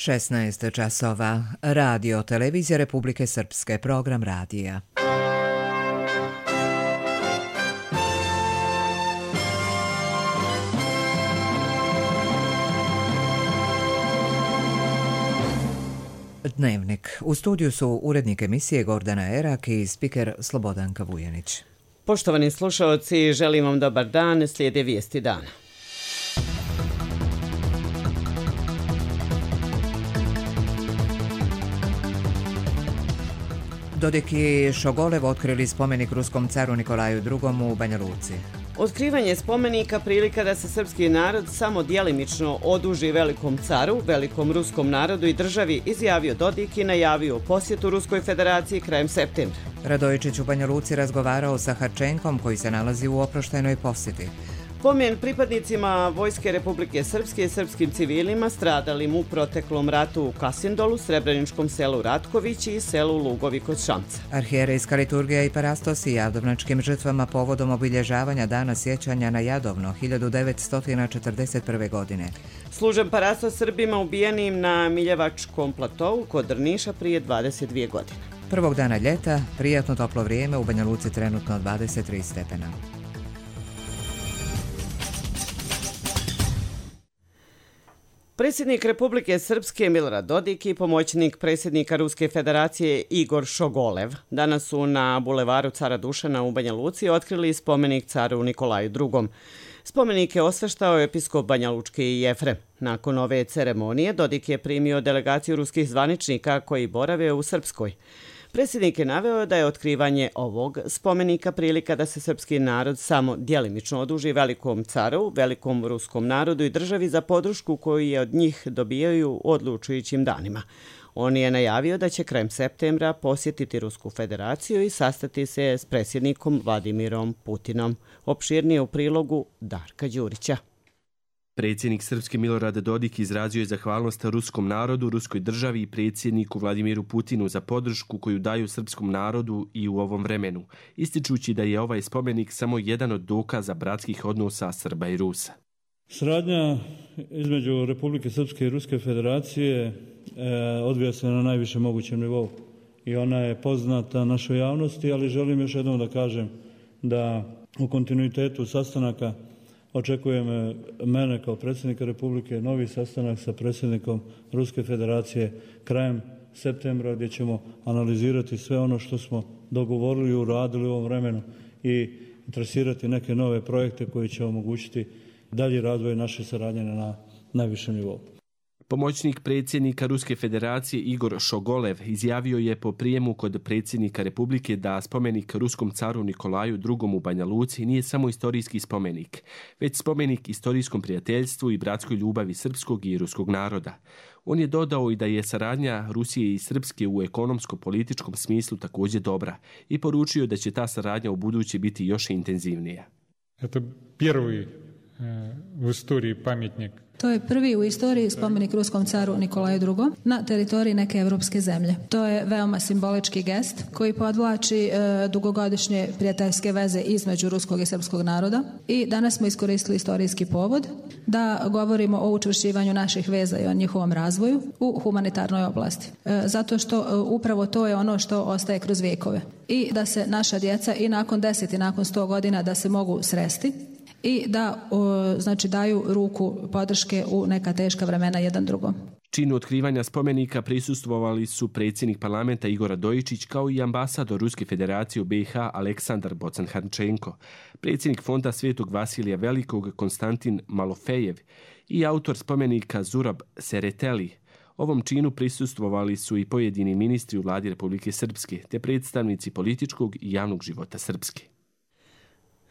16 časova. Radio Televizija Republike Srpske, program radija. Dnevnik. U studiju su urednik emisije Gordana Erak i spiker Slobodanka Vujanić. Poštovani slušaoci, želim vam dobar dan, slijede vijesti dana. Dodik i Šogolev otkrili spomenik ruskom caru Nikolaju II. U Banja Luci. Otkrivanje spomenika prilika da se srpski narod samo djelimično oduži velikom caru, velikom ruskom narodu i državi, izjavio Dodik i najavio posjetu Ruskoj federaciji krajem septembra. Radojičić u Banja Luci razgovarao sa Harčenkom koji se nalazi u oproštajnoj posjeti. Pomen pripadnicima Vojske Republike Srpske i srpskim civilima stradalim u proteklom ratu u Kasindolu, Srebreničkom selu Ratkovići i selu Lugovi kod Šamca. Arhijerejska liturgija i parastos i jadovnačkim žrtvama povodom obilježavanja dana sjećanja na Jadovno 1941. godine. Služen parastos Srbima ubijenim na Miljevačkom platovu kod Drniša prije 22 godine. Prvog dana ljeta, prijatno toplo vrijeme, u Banja Luci trenutno 23 stepena. Predsjednik Republike Srpske Milorad Dodik i pomoćnik predsjednika Ruske federacije Igor Šogolev danas su na bulevaru Cara Dušana u Banja Luci otkrili spomenik caru Nikolaju II. Spomenik je osveštao episkop Banja Lučki i Jefrem. Nakon ove ceremonije Dodik je primio delegaciju ruskih zvaničnika koji borave u Srpskoj. Predsjednik je naveo da je otkrivanje ovog spomenika prilika da se srpski narod samo djelimično oduži velikom caru, velikom ruskom narodu i državi za podršku koju je od njih dobijaju u odlučujućim danima. On je najavio da će krajem septembra posjetiti Rusku federaciju i sastati se s predsjednikom Vladimirom Putinom. Opširnije u prilogu Darka Đurića. Predsjednik Srpske Milorad Dodik izrazio je zahvalnost ruskom narodu, ruskoj državi i predsjedniku Vladimiru Putinu za podršku koju daju srpskom narodu i u ovom vremenu, ističući da je ovaj spomenik samo jedan od dokaza bratskih odnosa Srba i Rusa. Saradnja između Republike Srpske i Ruske federacije odvija se na najvišem mogućem nivou i ona je poznata našoj javnosti, ali želim još jednom da kažem da u kontinuitetu sastanaka očekujem mene kao predsjednika Republike novi sastanak sa predsjednikom Ruske federacije krajem septembra gdje ćemo analizirati sve ono što smo dogovorili i uradili u ovom vremenu i trasirati neke nove projekte koji će omogućiti dalji razvoj naše saradnje na najvišem nivou. Pomoćnik predsjednika Ruske federacije Igor Šogolev izjavio je po prijemu kod predsjednika Republike da spomenik ruskom caru Nikolaju II. U Banja Luci nije samo istorijski spomenik, već spomenik istorijskom prijateljstvu i bratskoj ljubavi srpskog i ruskog naroda. On je dodao i da je saradnja Rusije i Srpske u ekonomsko-političkom smislu također dobra i poručio da će ta saradnja u buduće biti još intenzivnija. To je prvi u istoriji pamjetnik. To je prvi u istoriji spomenik ruskom caru Nikolaju II. Na teritoriji neke evropske zemlje. To je veoma simbolički gest koji podvlači dugogodišnje prijateljske veze između ruskog i srpskog naroda i danas smo iskoristili istorijski povod da govorimo o učvršćivanju naših veza i o njihovom razvoju u humanitarnoj oblasti. Zato što upravo to je ono što ostaje kroz vijekove. I da se naša djeca i nakon 10 i nakon 100 godina da se mogu sresti i da daju ruku podrške u neka teška vremena jedan drugom. Činu otkrivanja spomenika prisustvovali su predsjednik parlamenta Igor Radojičić kao i ambasador Ruske federacije u BiH Aleksandar Bocan-Harčenko, predsjednik fonda Svetog Vasilija Velikog Konstantin Malofejev i autor spomenika Zurab Sereteli. Ovom činu prisustvovali su i pojedini ministri u vladi Republike Srpske te predstavnici političkog i javnog života Srpske.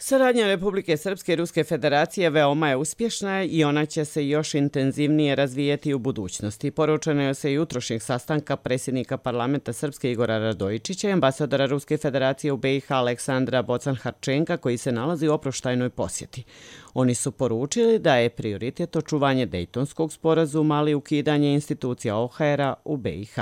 Saradnja Republike Srpske i Ruske federacije veoma je uspješna i ona će se još intenzivnije razvijeti u budućnosti. Poručeno je se jutrošnjeg sastanka predsjednika parlamenta Srpske Igora Radojičića i ambasadora Ruske federacije u BiH Aleksandra Bocan-Harčenka koji se nalazi u oproštajnoj posjeti. Oni su poručili da je prioritet očuvanje Dejtonskog sporazuma, ali ukidanje institucija OHR-a u BiH.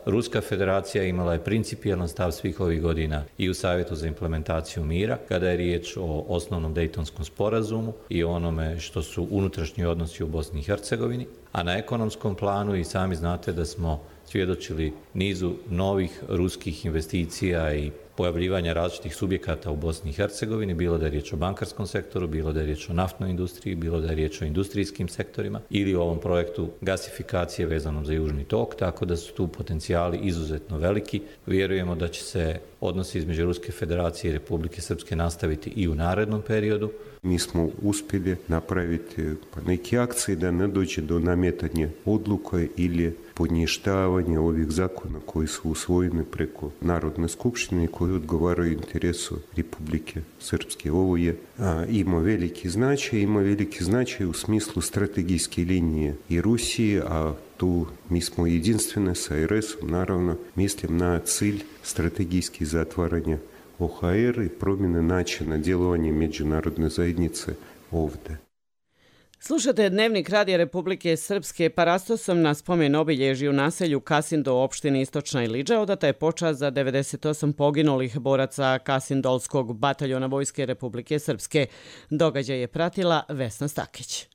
Ruska federacija imala je principijelan stav svih ovih godina i u Savjetu za implementaciju mira, kada je riječ o osnovnom Dejtonskom sporazumu i onome što su unutrašnji odnosi u Bosni i Hercegovini, a na ekonomskom planu i sami znate da smo svjedočili nizu novih ruskih investicija i pojavljivanja različitih subjekata u Bosni i Hercegovini, bilo da je riječ o bankarskom sektoru, bilo da je riječ o naftnoj industriji, bilo da je riječ o industrijskim sektorima ili o ovom projektu gasifikacije vezanom za Južni tok, tako da su tu potencijali izuzetno veliki. Vjerujemo da će se odnosi između Ruske federacije i Republike Srpske nastaviti i u narednom periodu. Mi smo uspjeli napraviti neke akcije da ne dođe do nametanja odluka ili poništavanja ovih zakona koji su usvojeni preko Narodne skupštine i koji odgovaraju interesu Republike Srpske. Ovo ima veliki značaj u smislu strategijske linije i Rusije, a tu mi smo jedinstvene sa RS-om, naravno mislim na cilj strategijski zatvaranja OHR i promjene načina djelovanja međunarodne zajednice ovdje. Slušate Dnevnik Radija Republike Srpske. Parastosom na spomen obilježi u naselju Kasinda u opštini Istočna Ilidža odata je počast za 98 poginulih boraca Kasindolskog bataljona Vojske Republike Srpske. Događaj je pratila Vesna Stakić.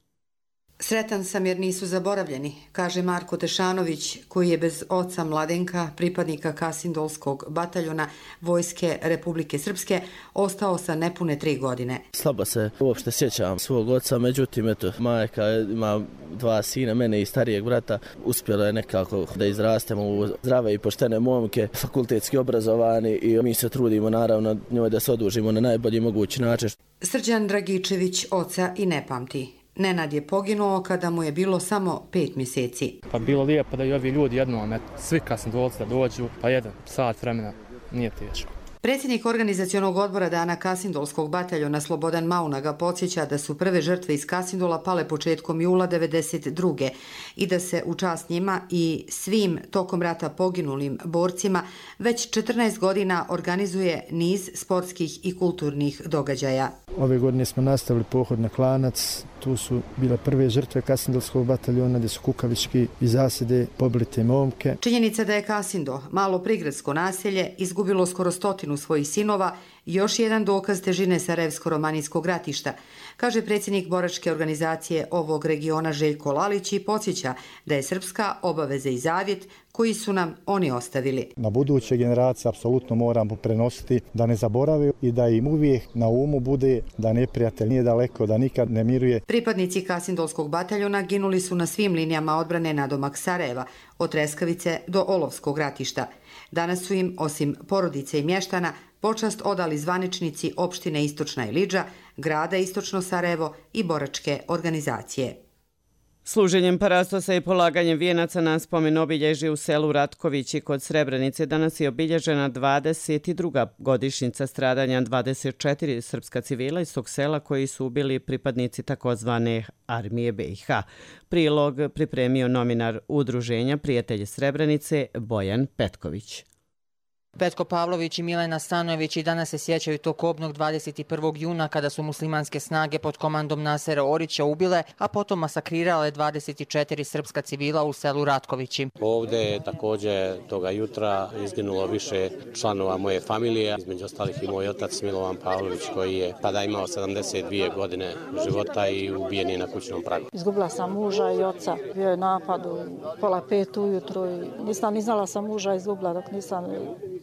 Sretan sam jer nisu zaboravljeni, kaže Marko Tešanović, koji je bez oca Mladenka, pripadnika Kasindolskog bataljona Vojske Republike Srpske, ostao sa nepune 3 godine. Slabo se uopšte sjećam svog oca, međutim, majka ima 2 sina, mene i starijeg brata. Uspjelo je nekako da izrastemo u zdrave i poštene momke, fakultetski obrazovani i mi se trudimo naravno njoj da se odužimo na najbolji mogući način. Srđan Dragičević oca i ne pamti. Nenad je poginuo kada mu je bilo samo 5 mjeseci. Pa bilo lijepo da i ovi ljudi jednom, svi Kasindolci da dođu, pa 1 sat vremena, nije teško. Predsjednik organizacionog odbora Dana Kasindolskog bataljona Slobodan Maunaga podsjeća da su prve žrtve iz Kasindola pale početkom jula 1992. i da se u čast njima i svim tokom rata poginulim borcima već 14 godina organizuje niz sportskih i kulturnih događaja. Ove godine smo nastavili pohod na Klanac. Tu su bile prve žrtve Kasindolskog bataljona gdje su kukavički i zasjede pobili te momke. Činjenica da je Kasindo, malo prigradsko naselje, izgubilo skoro 100 svojih sinova, još jedan dokaz težine Sarajevsko-romanijskog ratišta, kaže predsjednik boračke organizacije ovog regiona Željko Lalić i podsjeća da je srpska obaveza i zavjet koji su nam oni ostavili. Na buduće generacije apsolutno moramo prenositi da ne zaborave i da im uvijek na umu bude da neprijatelj nije daleko, da nikad ne miruje. Pripadnici Kasindolskog bataljona ginuli su na svim linijama odbrane nadomak Sarajeva, od Treskavice do Olovskog ratišta. Danas su im, osim porodice i mještana, počast odali zvaničnici opštine Istočna Ilidža, grada Istočno Sarajevo i boračke organizacije. Služenjem parastosa i polaganjem vijenaca na spomen obilježi u selu Ratkovići kod Srebrenice danas je obilježena 22. godišnjica stradanja 24 srpska civila iz tog sela koji su ubili pripadnici takozvane armije BiH. Prilog pripremio novinar Udruženja Prijatelji Srebrenice Bojan Petković. Petko Pavlović i Milena Stanojević i danas se sjećaju tog kobnog 21. juna kada su muslimanske snage pod komandom Nasera Orića ubile, a potom masakrirale 24 srpska civila u selu Ratkovići. Ovdje je također toga jutra izginulo više članova moje familije, između ostalih i moj otac Milovan Pavlović koji je tada imao 72 godine života i ubijen je na kućnom pragu. Izgubila sam muža i oca, bio je napad u 4:30 ujutro i nisam ni znala sam muža izgubila dok nisam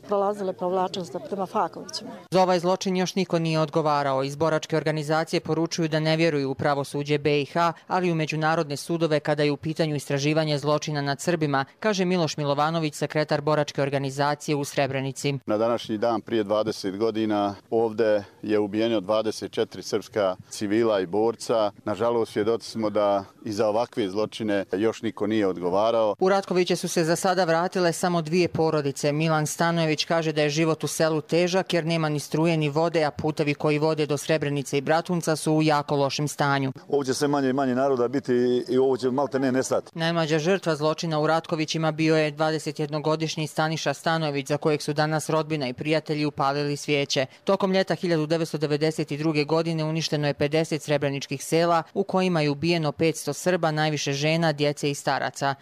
prolazile provlačenstva prema Fakovićima. Za ovaj zločin još niko nije odgovarao. Iz boračke organizacije poručuju da ne vjeruju u pravosuđe BiH, ali u međunarodne sudove kada je u pitanju istraživanje zločina nad Srbima, kaže Miloš Milovanović, sekretar boračke organizacije u Srebrenici. Na današnji dan prije 20 godina ovdje je ubijeno 24 srpska civila i borca. Nažalost, svjedoci smo da i za ovakve zločine još niko nije odgovarao. U Ratkoviće su se za sada vratile samo 2 porodice. Milan Stanojević kaže da je život u selu težak jer nema ni struje ni vode, a putevi koji vode do Srebrenice i Bratunca su u jako lošem stanju. Ovo će sve manje i manje naroda biti i ovo će malte ne nestati. Najmlađa žrtva zločina u Ratkovićima bio je 21-godišnji Staniša Stanojević, za kojeg su danas rodbina i prijatelji upalili svijeće. Tokom ljeta 1992. godine uništeno je 50 srebreničkih sela u kojima je ubijeno 500 Srba, najviše žena, djece i staraca.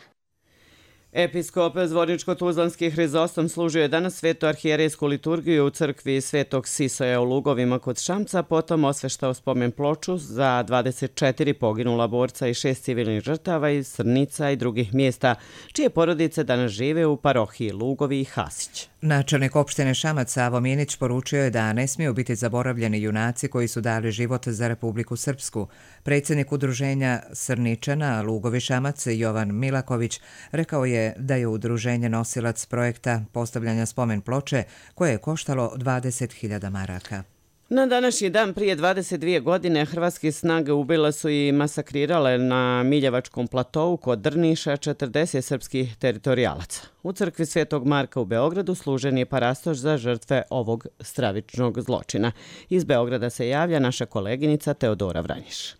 Episkop Zvorničko-Tuzlanski Hrizostom služio je danas svetu arhijerejsku liturgiju u crkvi Svetog Sisoja u Lugovima kod Šamca, potom osveštao spomen ploču za 24 poginula borca i 6 civilnih žrtava iz Srnica i drugih mjesta, čije porodice danas žive u parohiji Lugovi i Hasić. Načelnik opštine Šamac Savo Minić poručio je da ne smiju biti zaboravljeni junaci koji su dali život za Republiku Srpsku. Predsjednik udruženja Srničana Lugovi Šamac Jovan Milaković rekao je da je udruženje nosilac projekta postavljanja spomen ploče koje je koštalo 20.000 maraka. Na današnji dan prije 22 godine hrvatske snage ubile su i masakrirale na Miljevačkom platovu kod Drniša 40 srpskih teritorijalaca. U crkvi Svetog Marka u Beogradu služen je parastoš za žrtve ovog stravičnog zločina. Iz Beograda se javlja naša koleginica Teodora Vranjiš.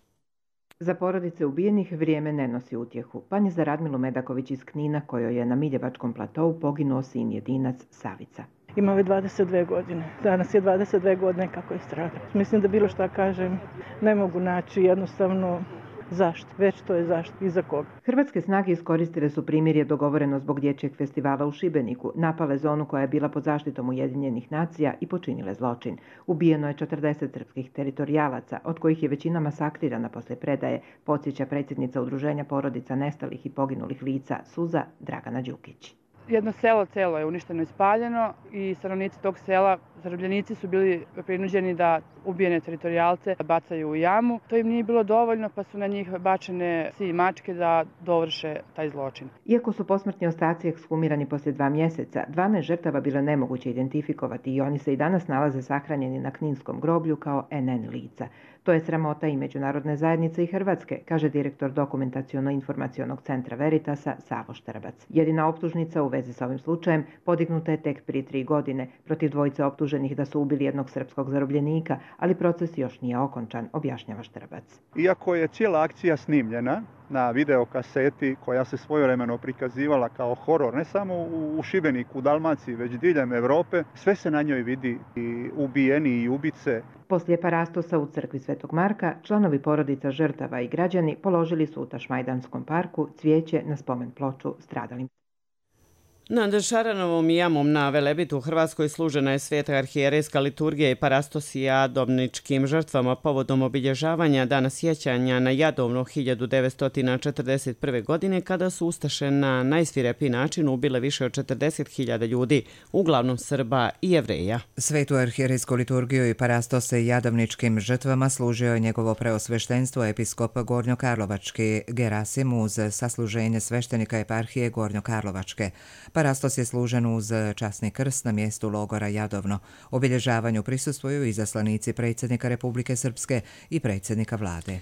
Za porodice ubijenih vrijeme ne nosi utjehu, pa ni za Radmilu Medaković iz Knina, kojoj je na Miljevačkom platovu poginuo sin jedinac Savica. Imao je 22 godine. Danas je 22 godine kako je stradao. Mislim da bilo šta kažem ne mogu naći jednostavno zašto. Već to je zašto i za koga. Hrvatske snage iskoristile su primirje dogovoreno zbog dječjeg festivala u Šibeniku, napale zonu koja je bila pod zaštitom Ujedinjenih nacija i počinile zločin. Ubijeno je 40 srpskih teritorijalaca, od kojih je većina masakrirana posle predaje, podsjeća predsjednica Udruženja porodica nestalih i poginulih lica Suza Dragana Đukić. Jedno selo celo je uništeno i spaljeno i stanovnici tog sela, zarobljenici su bili prinuđeni da ubijene teritorijalce bacaju u jamu. To im nije bilo dovoljno pa su na njih bačene psi i mačke da dovrše taj zločin. Iako su posmrtni ostaci ekshumirani poslije 2 mjeseca, 12 žrtava bilo nemoguće identifikovati i oni se i danas nalaze sahranjeni na Kninskom groblju kao NN lica. To je sramota i međunarodne zajednice i Hrvatske, kaže direktor Dokumentaciono-informacionog centra Veritasa Savo Štrbac. Jedina optužnica u vezi sa ovim slučajem podignuta je tek prije 3 godine protiv dvojice optuženih da su ubili jednog srpskog zarobljenika, ali proces još nije okončan, objašnjava Štrbac. Iako je cijela akcija snimljena na videokaseti koja se svojevremeno prikazivala kao horor, ne samo u Šibeniku, u Dalmaciji, već diljem Europe, sve se na njoj vidi i ubijeni i ubice. Poslije parastosa u crkvi Svetog Marka, članovi porodica žrtava i građani položili su u Tašmajdanskom parku cvijeće na spomen ploču stradalim. Nad Šaranovom jamom na Velebitu u Hrvatskoj služena je sveta arhijerejska liturgija i parastos jadovničkim žrtvama povodom obilježavanja dana sjećanja na Jadovno 1941. godine kada su ustaše na najsvirepiji način ubile više od 40.000 ljudi, uglavnom Srba i Jevreja. Svetu arhijerejsku liturgiju i parastos jadovničkim žrtvama služio je njegovo preosveštenstvo episkop Gornjokarlovački Gerasim uz sasluženje sveštenika eparhije Gornjokarlovačke. Parastos je služen uz časni krst na mjestu logora Jadovno. Obilježavanju prisustvuju i zaslanici predsjednika Republike Srpske i predsjednika vlade.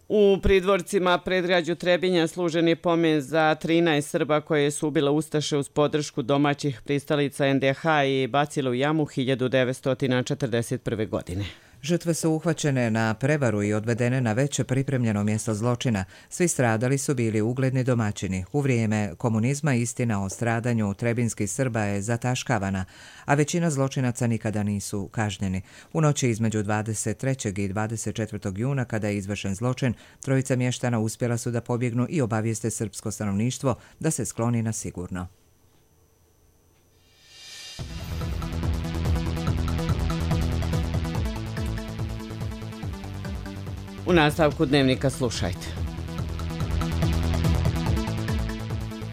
U pridvorcima predgrađu Trebinja služen je pomen za 13 Srba koje su ubile ustaše uz podršku domaćih pristalica NDH i bacile u jamu 1941. godine. Žrtve su uhvaćene na prevaru i odvedene na već pripremljeno mjesto zločina. Svi stradali su bili ugledni domaćini. U vrijeme komunizma istina o stradanju trebinskih Srba je zataškavana, a većina zločinaca nikada nisu kažnjeni. U noći između 23. i 24. juna, kada je izvršen zločin, trojica mještana uspjela su da pobjegnu i obavijeste srpsko stanovništvo da se skloni na sigurno. U nastavku dnevnika slušajte.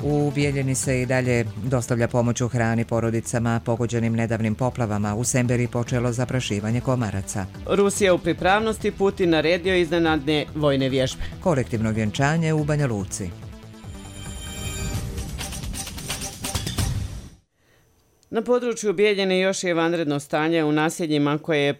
U Bijeljini se i dalje dostavlja pomoć u hrani porodicama pogođenim nedavnim poplavama. U Semberi počelo zaprašivanje komaraca. Rusija u pripravnosti, Putin naredio iznenadne vojne vježbe. Kolektivno vjenčanje u Banja Luci. Na području Bijeljine još je vanredno stanje u naseljima koje je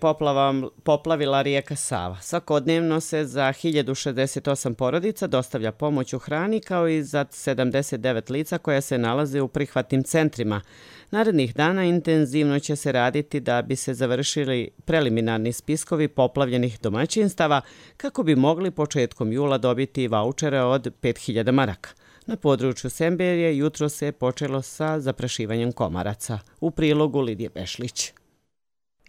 poplavila rijeka Sava. Svakodnevno se za 1068 porodica dostavlja pomoć u hrani kao i za 79 lica koja se nalaze u prihvatnim centrima. Narednih dana intenzivno će se raditi da bi se završili preliminarni spiskovi poplavljenih domaćinstava kako bi mogli početkom jula dobiti vaučere od 5000 maraka. Na području Semberije jutro se počelo sa zaprašivanjem komaraca. U prilogu Lidije Bešlić.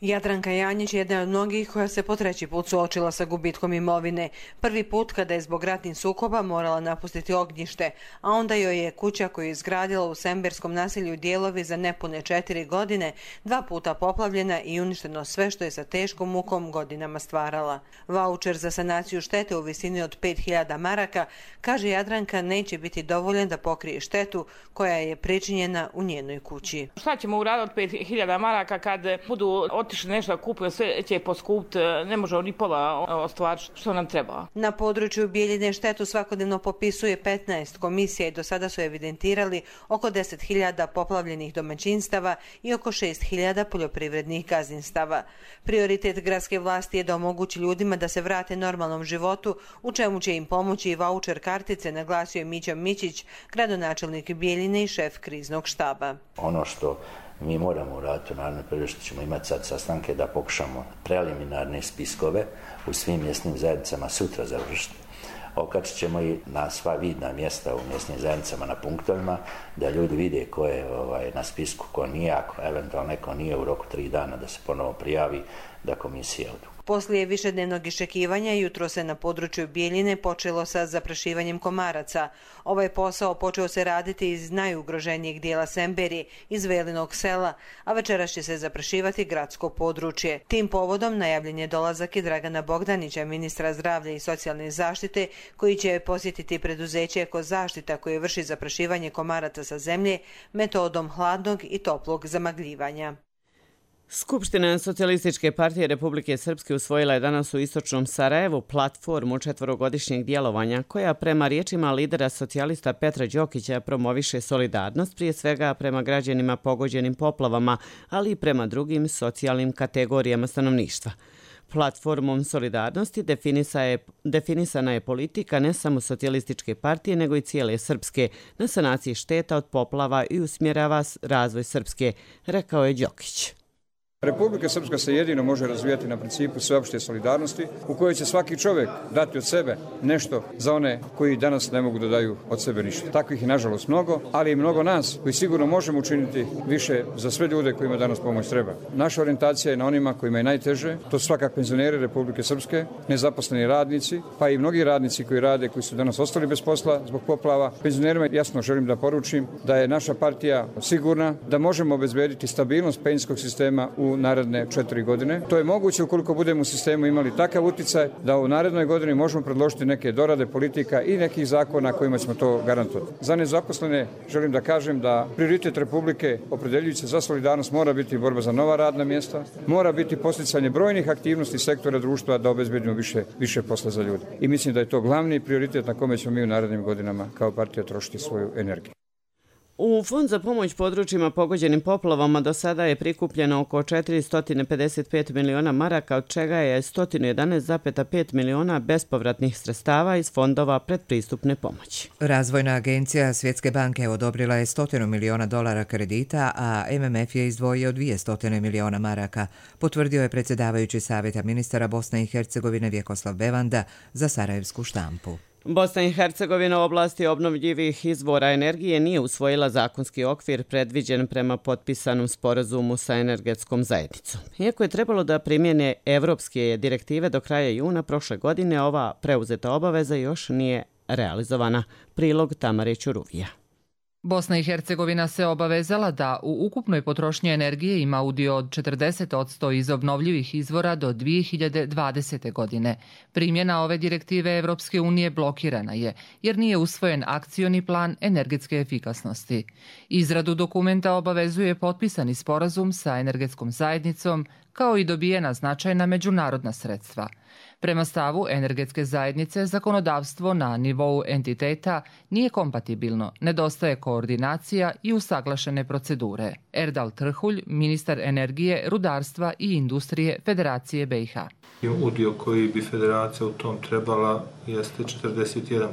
Jadranka Janjić je jedna od mnogih koja se po treći put suočila sa gubitkom imovine. Prvi put kada je zbog ratnih sukoba morala napustiti ognjište, a onda joj je kuća koju je izgradila u Semberskom naselju Dijelovi za nepune 4 godine 2 puta poplavljena i uništeno sve što je sa teškom mukom godinama stvarala. Vaučer za sanaciju štete u visini od 5000 maraka, kaže Jadranka, neće biti dovoljan da pokrije štetu koja je pričinjena u njenoj kući. Šta ćemo uraditi od 5000 maraka kad budu otišli nešto kupiti, sve će poskupiti, ne možemo ni pola ostvariti što nam treba. Na području Bijeljine štetu svakodnevno popisuje 15 komisija i do sada su evidentirali oko 10.000 poplavljenih domaćinstava i oko 6.000 poljoprivrednih gazdinstava. Prioritet gradske vlasti je da omogući ljudima da se vrate normalnom životu, u čemu će im pomoći i vaučer kartice, naglasio je Mića Mićić, gradonačelnik Bijeljine i šef kriznog štaba. Ono što mi moramo uraditi u narednom periodu, što ćemo imati sad sastanke, da pokušamo preliminarne spiskove u svim mjesnim zajednicama sutra završiti. Okačit ćemo i na sva vidna mjesta u mjesnim zajednicama na punktovima, da ljudi vide ko je na spisku, ko nije, ako eventualno neko nije u roku 3 dana da se ponovo prijavi, da komisija odluči. Poslije višednevnog iščekivanja, jutro se na području Bijeljine počelo sa zaprašivanjem komaraca. Ovaj posao počeo se raditi iz najugroženijeg dijela Semberi, iz Velinog sela, a večeras će se zaprašivati gradsko područje. Tim povodom najavljen je dolazak i Dragana Bogdanića, ministra zdravlja i socijalne zaštite, koji će posjetiti preduzeće Ekozaštita koje vrši zaprašivanje komaraca sa zemlje metodom hladnog i toplog zamagljivanja. Skupština Socijalističke partije Republike Srpske usvojila je danas u istočnom Sarajevu platformu 4-godišnjeg djelovanja koja prema riječima lidera socijalista Petra Đokića promoviše solidarnost prije svega prema građanima pogođenim poplavama, ali i prema drugim socijalnim kategorijama stanovništva. Platformom solidarnosti definisana je politika ne samo Socijalističke partije nego i cijele Srpske na sanaciji šteta od poplava i usmjerava razvoj Srpske, rekao je Đokić. Republika Srpska se jedino može razvijati na principu sveopšte solidarnosti u kojoj će svaki čovjek dati od sebe nešto za one koji danas ne mogu da daju od sebe ništa. Takvih je nažalost mnogo, ali i mnogo nas koji sigurno možemo učiniti više za sve ljude kojima danas pomoć treba. Naša orijentacija je na onima kojima je najteže, to su svakako penzioneri Republike Srpske, nezaposleni radnici, pa i mnogi radnici koji rade, koji su danas ostali bez posla zbog poplava. Penzionerima jasno želim da poručim da je naša partija sigurna da možemo obezbediti stabilnost penzijskog sistema u naredne 4 godine. To je moguće ukoliko budemo u sistemu imali takav uticaj da u narednoj godini možemo predložiti neke dorade politika i nekih zakona kojima ćemo to garantovati. Za nezaposlene želim da kažem da prioritet Republike opredeljujući za solidarnost mora biti borba za nova radna mjesta, mora biti podsticanje brojnih aktivnosti sektora društva da obezbedimo više posla za ljude. I mislim da je to glavni prioritet na kome ćemo mi u narednim godinama kao partija trošiti svoju energiju. U Fond za pomoć područjima pogođenim poplavama do sada je prikupljeno oko 455 miliona maraka, od čega je 111,5 miliona bespovratnih sredstava iz fondova predpristupne pomoći. Razvojna agencija Svjetske banke odobrila je $100 miliona kredita, a MMF je izdvojio 200 miliona maraka, potvrdio je predsjedavajući Savjeta ministara Bosne i Hercegovine Vjekoslav Bevanda za sarajevsku štampu. Bosna i Hercegovina u oblasti obnovljivih izvora energije nije usvojila zakonski okvir predviđen prema potpisanom sporazumu sa energetskom zajednicom. Iako je trebalo da primjene evropske direktive do kraja juna prošle godine, ova preuzeta obaveza još nije realizovana. Prilog Tamare Ćuruvija. Bosna i Hercegovina se obavezala da u ukupnoj potrošnji energije ima udio od 40% iz obnovljivih izvora do 2020. godine. Primjena ove direktive Evropske unije blokirana je, jer nije usvojen akcioni plan energetske efikasnosti. Izradu dokumenta obavezuje potpisani sporazum sa energetskom zajednicom, kao i dobijena značajna međunarodna sredstva. Prema stavu energetske zajednice, zakonodavstvo na nivou entiteta nije kompatibilno, nedostaje koordinacija i usaglašene procedure. Erdal Trhulj, ministar energije, rudarstva i industrije Federacije BiH. Udio koji bi federacija u tom trebala jeste 41%.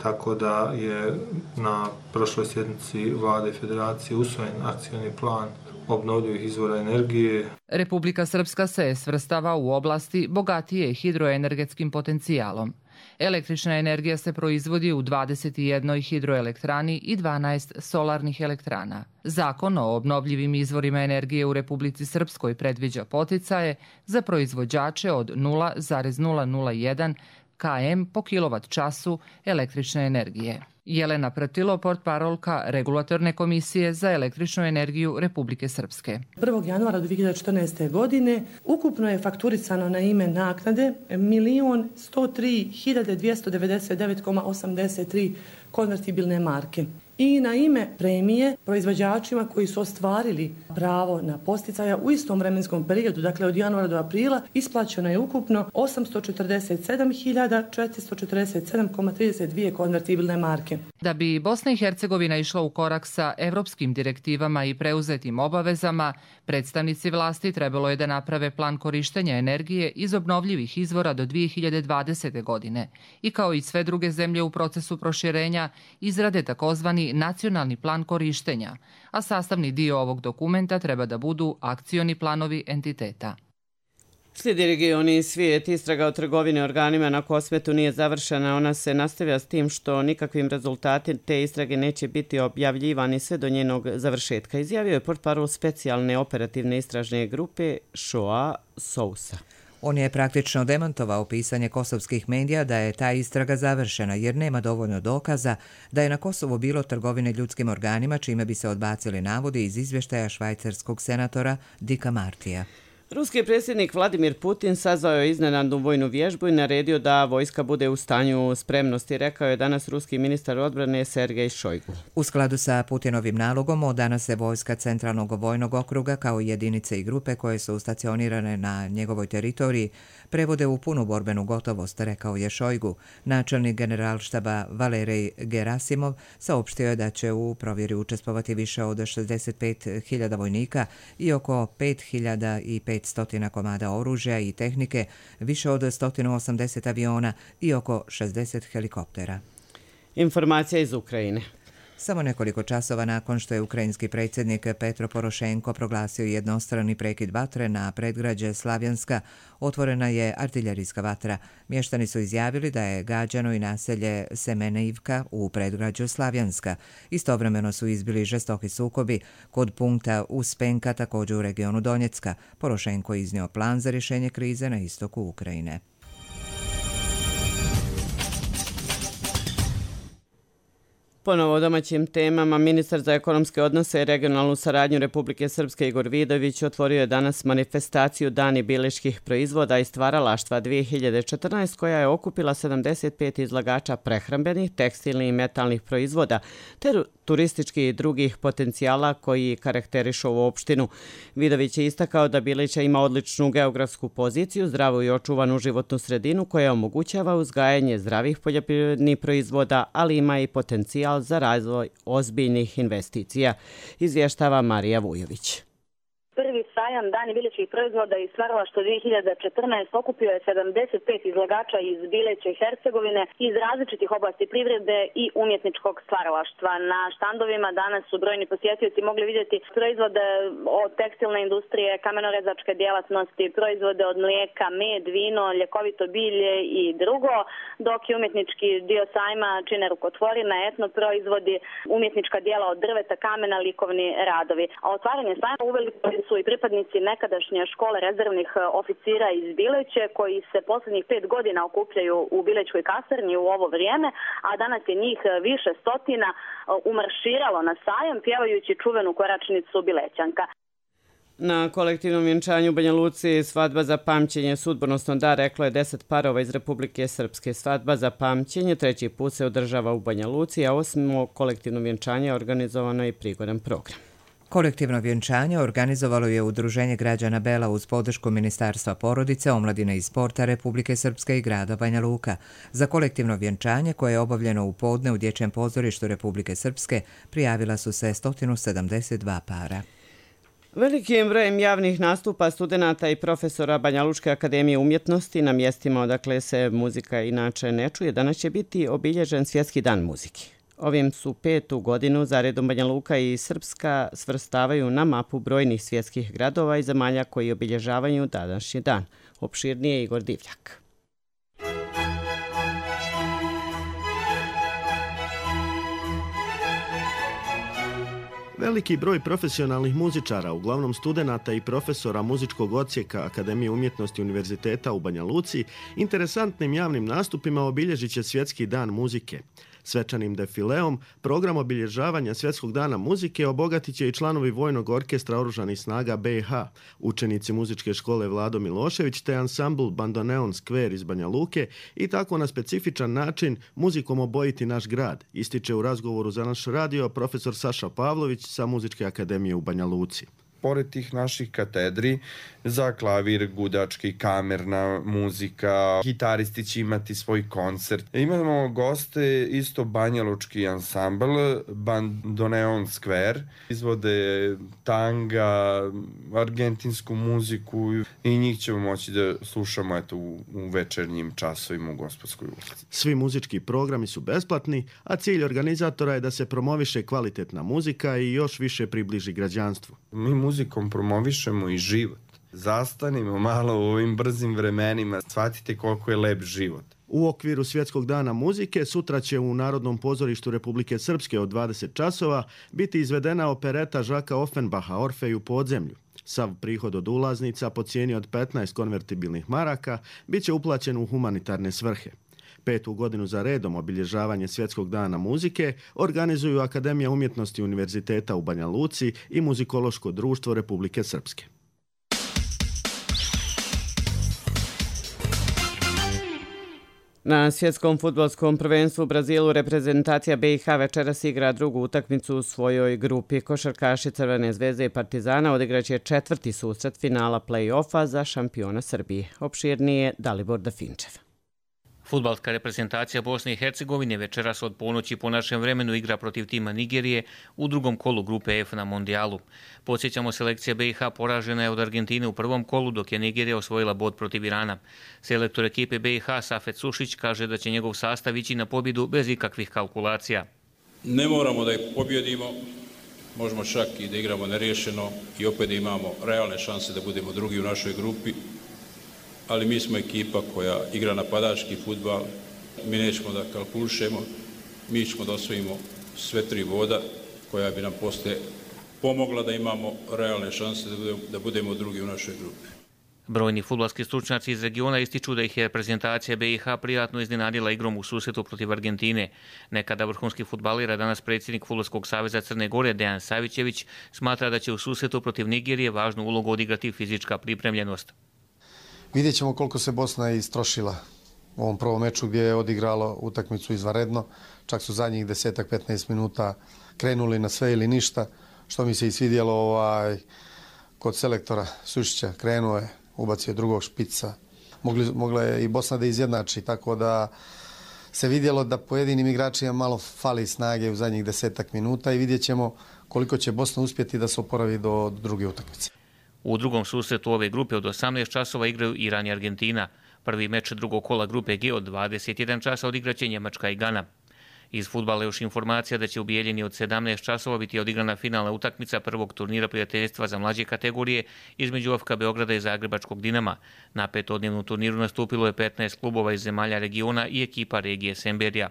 Tako da je na prošloj sjednici Vlade Federacije usvojen akcioni plan obnovljivih izvora energije. Republika Srpska se svrstava u oblasti bogatije hidroenergetskim potencijalom. Električna energija se proizvodi u 21 hidroelektrani i 12 solarnih elektrana. Zakon o obnovljivim izvorima energije u Republici Srpskoj predviđa poticaje za proizvođače od 0,001 km po kilovat času električne energije. Jelena Pratilo, portparolka Regulatorne komisije za električnu energiju Republike Srpske. 1. januara 2014. godine ukupno je fakturisano na ime naknade 1.103.299,83 konvertibilne marke. I na ime premije proizvođačima koji su ostvarili pravo na posticaja u istom vremenskom periodu, dakle od januara do aprila, isplaćeno je ukupno 847.447,32 konvertibilne marke. Da bi Bosna i Hercegovina išla u korak sa evropskim direktivama i preuzetim obavezama, predstavnici vlasti trebalo je da naprave plan korištenja energije iz obnovljivih izvora do 2020. godine i kao i sve druge zemlje u procesu proširenja izrade takozvani nacionalni plan korištenja, a sastavni dio ovog dokumenta treba da budu akcioni planovi entiteta. Slijedi regioni i svijet. Istraga o trgovini organima na Kosmetu nije završena. Ona se nastavlja s tim što nikakvim rezultati te istrage neće biti objavljivani sve do njenog završetka. Izjavio je portparol specijalne operativne istražne grupe Shoa Sousa. On je praktično demantovao pisanje kosovskih medija da je ta istraga završena jer nema dovoljno dokaza da je na Kosovu bilo trgovine ljudskim organima čime bi se odbacili navodi iz izvještaja švajcarskog senatora Dika Martija. Ruski predsjednik Vladimir Putin sazvao je iznenadnu vojnu vježbu i naredio da vojska bude u stanju spremnosti, rekao je danas ruski ministar odbrane Sergej Šojgu. U skladu sa Putinovim nalogom, od danas se vojska Centralnog vojnog okruga kao jedinice i grupe koje su stacionirane na njegovoj teritoriji prevode u punu borbenu gotovost, rekao je Šojgu. Načelnik generalštaba Valerej Gerasimov saopštio je da će u provjeri učestvovati više od 65.000 vojnika i oko 5.500 komada oružja i tehnike, više od 180 aviona i oko 60 helikoptera. Informacija iz Ukrajine. Samo nekoliko časova nakon što je ukrajinski predsjednik Petro Porošenko proglasio jednostrani prekid vatre na predgrađe Slavjanska, otvorena je artiljerijska vatra. Mještani su izjavili da je gađano i naselje Semenivka u predgrađu Slavjanska. Istovremeno su izbili žestoki sukobi kod punkta Uspenka, također u regionu Donjecka. Porošenko je iznio plan za rješenje krize na istoku Ukrajine. Ponovo o domaćim temama, ministar za ekonomske odnose i regionalnu saradnju Republike Srpske Igor Vidović otvorio je danas manifestaciju Dani bileških proizvoda i stvaralaštva 2014 koja je okupila 75 izlagača prehrambenih, tekstilnih i metalnih proizvoda te turističkih i drugih potencijala koji karakterišu ovu opštinu. Vidović je istakao da Bilića ima odličnu geografsku poziciju, zdravu i očuvanu životnu sredinu koja omogućava uzgajanje zdravih poljoprivrednih proizvoda, ali ima i potencijal za razvoj ozbiljnih investicija, izvještava Marija Vujović. Prvi sajam Dani biljećih proizvoda i stvaralaštva 2014 okupio je 75 izlagača iz Bileće i Hercegovine iz različitih oblasti privrede i umjetničkog stvaralaštva. Na štandovima danas su brojni posjetioci mogli vidjeti proizvode od tekstilne industrije, kamenorezačke djelatnosti, proizvode od mlijeka, med, vino, ljekovito bilje i drugo, dok je umjetnički dio sajma čine rukotvorine, etno proizvodi, umjetnička djela od drveta, kamena, likovni radovi. A otvaranje sajma uveliko su i pripadnici nekadašnje škole rezervnih oficira iz Bileće koji se posljednjih 5 godina okupljaju u Bilećkoj kasarni u ovo vrijeme, a danas je njih više stotina umarširalo na sajam pjevajući čuvenu koračnicu Bilećanka. Na kolektivnom vjenčanju u Banja Luci svadba za pamćenje sudbonosno da, reklo je 10 parova iz Republike Srpske. Svadba za pamćenje treći put se održava u Banja Luci, a osim kolektivno vjenčanje organizovano je i prigodan program. Kolektivno vjenčanje organizovalo je Udruženje građana Bela uz podršku Ministarstva porodice, omladine i sporta Republike Srpske i grada Banja Luka. Za kolektivno vjenčanje koje je obavljeno u podne u Dječjem pozorištu Republike Srpske prijavila su se 172 para. Velikim brojem javnih nastupa studenata i profesora Banja Lučke akademije umjetnosti na mjestima odakle se muzika inače ne čuje, danas će biti obilježen Svjetski dan muzike. Ovim su 5. godinu zaredom Banja Luka i Srpska svrstavaju na mapu brojnih svjetskih gradova i zemalja koji obilježavaju današnji dan. Opširnije Igor Divljak. Veliki broj profesionalnih muzičara, uglavnom studenata i profesora muzičkog odsjeka Akademije umjetnosti Univerziteta u Banja Luci, interesantnim javnim nastupima obilježit će Svjetski dan muzike. Svečanim defileom program obilježavanja Svjetskog dana muzike obogatit će i članovi Vojnog orkestra Oružanih snaga BiH, učenici muzičke škole Vlado Milošević te ansambl Bandoneon Square iz Banja Luke i tako na specifičan način muzikom obojiti naš grad, ističe u razgovoru za naš radio profesor Saša Pavlović sa Muzičke akademije u Banja Luci. Pored tih naših katedri za klavir, gudački, kamerna muzika, gitaristi će imati svoj koncert. Imamo goste, isto banjalučki ansambl, Bandoneon Square, izvode tanga, argentinsku muziku i njih ćemo moći da slušamo u večernjim časovima u Gospodskoj ulici. Svi muzički programi su besplatni, a cilj organizatora je da se promoviše kvalitetna muzika i još više približi građanstvu. Mi muzikom promovišemo i život. Zastanimo malo u ovim brzim vremenima, shvatite koliko je lep život. U okviru Svjetskog dana muzike sutra će u Narodnom pozorištu Republike Srpske od 20 časova biti izvedena opereta Žaka Offenbacha Orfej u podzemlju. Sav prihod od ulaznica po cijeni od 15 konvertibilnih maraka bit će uplaćen u humanitarne svrhe. 5. godinu za redom obilježavanje Svjetskog dana muzike organizuju Akademija umjetnosti Univerziteta u Banja Luci i Muzikološko društvo Republike Srpske. Na svjetskom fudbalskom prvenstvu u Brazilu reprezentacija BiH večeras igra drugu utakmicu u svojoj grupi. Košarkaši Crvene zvezde i Partizana odigraće 4. susret finala play-offa za šampiona Srbije. Opširnije Dalibor Dafinčev. Fudbalska reprezentacija Bosne i Hercegovine večeras od ponoći po našem vremenu igra protiv tima Nigerije u drugom kolu grupe F na Mondijalu. Podsjećamo, selekcija BiH poražena je od Argentine u prvom kolu, dok je Nigerija osvojila bod protiv Irana. Selektor ekipe BiH Safet Sušić kaže da će njegov sastav ići na pobjedu bez ikakvih kalkulacija. Ne moramo da ih pobjedimo, možemo čak i da igramo neriješeno i opet da imamo realne šanse da budemo drugi u našoj grupi. Ali mi smo ekipa koja igra napadački fudbal, mi nećemo da kalkulišemo, mi ćemo da osvojimo sve 3 boda koja bi nam poslije pomogla da imamo realne šanse da budemo drugi u našoj grupi. Brojni fudbalski stručnjaci iz regiona ističu da ih je reprezentacija BiH prijatno iznenadila igrom u susretu protiv Argentine. Nekada vrhunski fudbaler, a danas predsjednik Fudbalskog saveza Crne Gore Dejan Savićević smatra da će u susretu protiv Nigerije važnu ulogu odigrati fizička pripremljenost. Vidjet ćemo koliko se Bosna istrošila u ovom prvom meču gdje je odigralo utakmicu izvanredno. Čak su zadnjih 10-15 minuta krenuli na sve ili ništa, što mi se i svidjelo kod selektora Sušića. Krenuo je, ubacio drugog špica. Mogla je i Bosna da izjednači, tako da se vidjelo da pojedinim igračima malo fali snage u zadnjih 10 minuta i vidjet ćemo koliko će Bosna uspjeti da se oporavi do druge utakmice. U drugom susretu ove grupe od 18 časova igraju Iran i Argentina. Prvi meč drugog kola grupe G od 21 časa odigraće Njemačka i Gana. Iz fudbala još informacija da će u Bijeljini od 17 časova biti odigrana finalna utakmica prvog turnira prijateljstva za mlađe kategorije između FK Beograda i Zagrebačkog Dinama. Na petodnevnom turniru nastupilo je 15 klubova iz zemalja regiona i ekipa regije Semberija.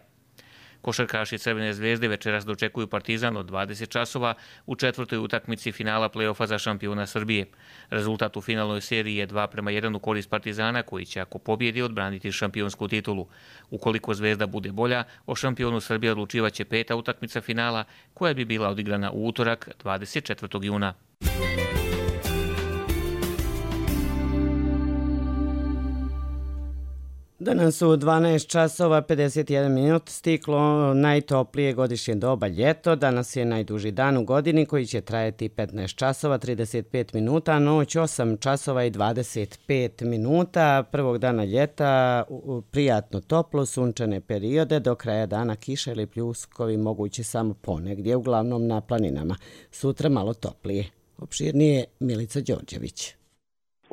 Košarkaši Crvene zvezde večeras dočekuju Partizan od 20 časova u 4. utakmici finala play-offa za šampiona Srbije. Rezultat u finalnoj seriji je 2:1 u korist Partizana, koji će, ako pobjedi, odbraniti šampionsku titulu. Ukoliko Zvezda bude bolja, o šampionu Srbije odlučivaće 5. utakmica finala, koja bi bila odigrana u utorak 24. juna. Danas u 12 časova 51 minut stiklo najtoplije godišnje doba ljeto. Danas je najduži dan u godini koji će trajati 15 časova 35 minuta, a noć 8 časova i 25 minuta. Prvog dana ljeta prijatno toplo, sunčane periode, do kraja dana kiša ili pljuskovi mogući samo ponegdje, uglavnom na planinama. Sutra malo toplije. Opširnije Milica Đorđević.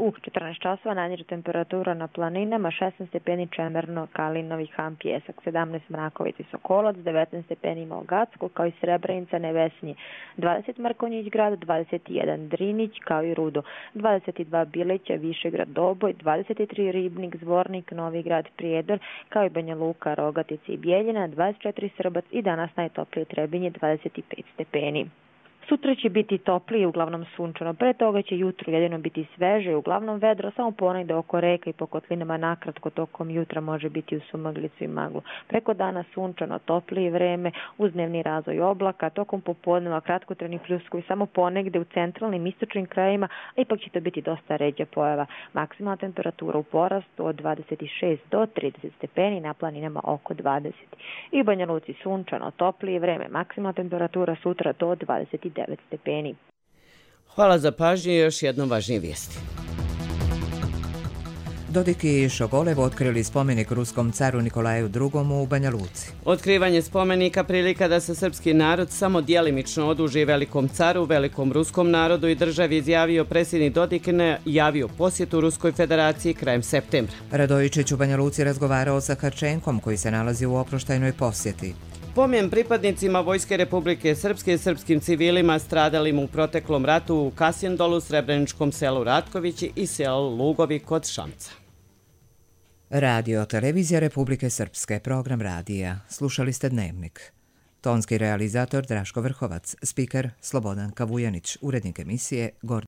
u 14 časova najniža temperatura na planinama 16 stepeni Čemerno, Kalinovi, Han, Pjesak, 17 Mrakovic i Sokolac, 19 stepeni Malgacko, kao i Srebrenica, Nevesinje, 20 Mrkonjić grad, 21 Drinić, kao i Rudo, 22 Bileća, Višegrad, Doboj, 23 Ribnik, Zvornik, Novi grad, Prijedor, kao i Banja Luka, Rogatica i Bijeljina, 24 Srbac i danas najtoplije Trebinje, 25 stepeni. Sutra će biti toplije, uglavnom sunčano. Pre toga će jutro jedino biti sveže, uglavnom vedro, samo ponegde oko reka i po kotlinama nakratko tokom jutra može biti u sumaglicu i maglu. Preko dana sunčano, toplije vreme, uz dnevni razvoj oblaka, tokom popodneva kratkotrajni pljuskovi samo ponegde u centralnim istočnim krajevima, a ipak će to biti dosta ređa pojava. Maksimalna temperatura u porastu od 26 do 30 stepeni, na planinama oko 20. I u Banja Luci sunčano, toplije vreme, maksimalna temperatura sutra do 29 stepeni. Hvala za pažnju i još jednom važnije vijesti. Dodik i Šogolev otkrili spomenik ruskom caru Nikolaju II. U Banja Luci. Otkrivanje spomenika prilika da se srpski narod samo djelimično oduži velikom caru, velikom ruskom narodu i državi, izjavio predsjednik Dodik, javio posjetu Ruskoj federaciji krajem septembra. Radojičić u Banja Luci razgovarao sa Harčenkom koji se nalazi u oproštajnoj posjeti. Pomen pripadnicima Vojske Republike Srpske i srpskim civilima stradalim u proteklom ratu u Kasjendolu, Srebreničkom selu Ratkovići i selu Lugovi kod Šamca. Radio Televizija Republike Srpske, program radija. Slušali ste Dnevnik. Tonski realizator Draško Vrhovac, spiker Slobodan Kavujanić, urednik emisije Gordon